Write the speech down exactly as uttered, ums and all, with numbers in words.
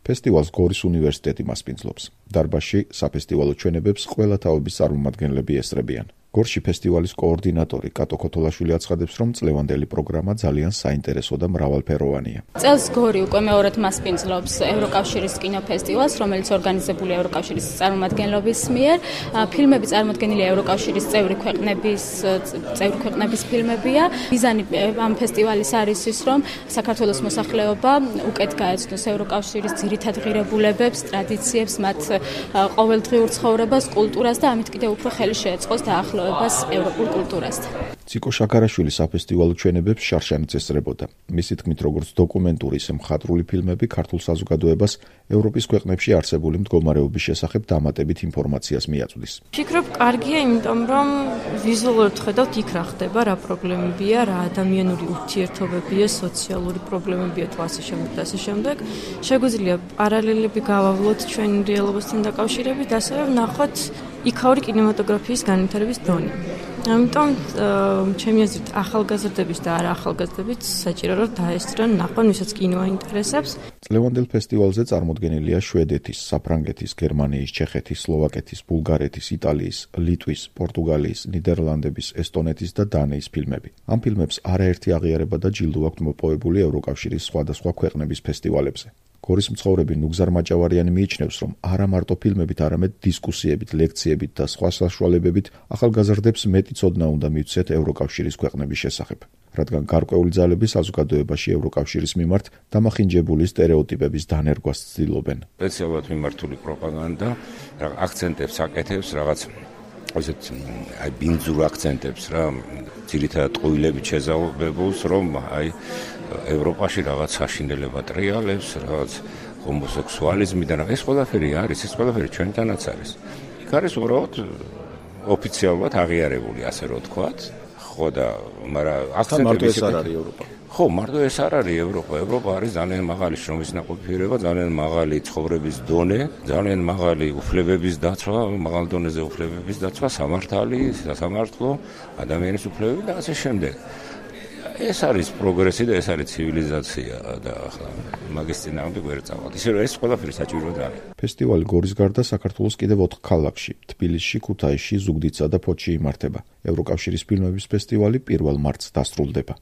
ფესტივალს გორის უნივერსიტეტი მასპინძლობს. დარბაზში საფესტივალო ჩვენებებს ყველა თაობის წარმომადგენლები ესწრებიან. გორში ფესტივალის კოორდინატორი კატო ქოთოლაშვილი აცხადებს, რომ წლევანდელი პროგრამა ძალიან საინტერესო და მრავალფეროვანია. წელს გორი უკვე მეორედ მასპინძლობს ევროკავშირის კინოფესტივალს, რომელიც ორგანიზებულია ევროკავშირის წარმომადგენლობის მიერ. ფილმები წარმოდგენილია ევროკავშირის წევრი ქვეყნების წევრი ქვეყნების ფილმებია. მიზანი ამ ფესტივალის არის ის, რომ საქართველოს მოსახლეობა უკეთ გაეცნოს ევროკავშირის ძირითად ღირებულებებს, ტრადიციებს, მათ ყოველდღიურ ცხოვრებას, კულტურას და ამით კიდევ უფრო ხელი შეეწყოს დაახლოებას ევროპულ კულტურასთან. ციკო შაქარაშვილი საფესტივალო ჩვენებებს შარშანიც ესწრებოდა. მისი თქმით, როგორც დოკუმენტური, ისე მხატვრული ფილმები ქართულ საზოგადოებას ევროპის ქვეყნებში არსებული მდგომარეობის შესახებ დამატებით ინფორმაციას მიაწვდის. ვფიქრობ, კარგია, იმიტომ რომ ვიზუალურად ხედავთ იქ რა ხდება, რა პრობლემებია, რა ადამიანური ურთიერთობებია, სოციალური პრობლემებია თუ ასე შემდეგ და ასე შემდეგ. შეგვიძლია პარალელები გავავლოთ ჩვენი რეალობასთან დაკავშირებით, ასევე ვნახოთ იქაური კინემატოგრაფიის განვითარების დონე. ამიტომ ჩემი აზრით ახალგაზრდების და არა ახალგაზრდების საჭირო რომ დაესწრონ ნახონ, ვისაც კინო აინტერესებს. წლევანდელ ფესტივალზე წარმოდგენილია შვედეთის, საფრანგეთის, გერმანიის, ჩეხეთის, სლოვაკეთის, ბულგარეთის, იტალიის, ლიტვის, პორტუგალიის, ნიდერლანდების, ესტონეთის და დანიის ფილმები. ამ ფილმებს არაერთი აღიარება და ჯილდო აქვთ მოპოვებული ევროკავშირის სხვადასხვა ქვეყნების ფესტივალებზე. გორის მცხოვრები ნუგზარ მაჭავარიანი მიიჩნევს, რომ არა მარტო ფილმებით, არამედ დისკუსიებით, ლექციებით და სხვა საშუალებებით ახალგაზრდებს მეტი ცოდნა უნდა მიუცეთ ევროკავშირის ქვეყნების შესახებ, რადგან გარკვეული ძალები საზოგადოებაში ევროკავშირის მიმართ დამახინჯებული სტერეოტიპების დანერგვას ცდილობენ. სპეციალურად მიმართული პროპაგანდა აქცენტებს აკეთებს რაღაც ასეთ აი ბინძურ აქცენტებს რა, ძირითადად ყვილებით შეზავებულს, რომ აი ევროპაში რაღაც საშინელება ტრიალებს, რაღაც ჰომოსექსუალიზმი და ეს ყველაფერი არის, ეს ყველაფერი ჩვენთანაც არის. იქ არის უბრალოდ ოფიციალურად აღიარებული, ასე რომ ვთქვათ. ხო და მაგრამ აქცენტები ეს არ არის ევროპა. ხო, მარტო ეს არ არის ევროპა. ევროპა არის ძალიან მაღალი შრომის ნაყოფიერება, ძალიან მაღალი ცხოვრების დონე, ძალიან მაღალი უფლებების დაცვა, მაღალ დონეზე უფლებების დაცვა, სამართალი, სასამართლო, ადამიანის უფლებები და ასე შემდეგ. ეს არის პროგრესი და ეს არის ცივილიზაცია და ახლა მაგის წინააღმდეგ ვერ წავალთ. ისე რომ ეს ყველაფერი საჭიროა არის. ფესტივალი გორის გარდა საქართველოს კიდევ ოთხ ქალაქში, თბილისში, ქუთაისში, ზუგდიდსა და ფოთში იმართება. ევროკავშირის ფილმების ფესტივალი პირველ მარტს დასრულდება.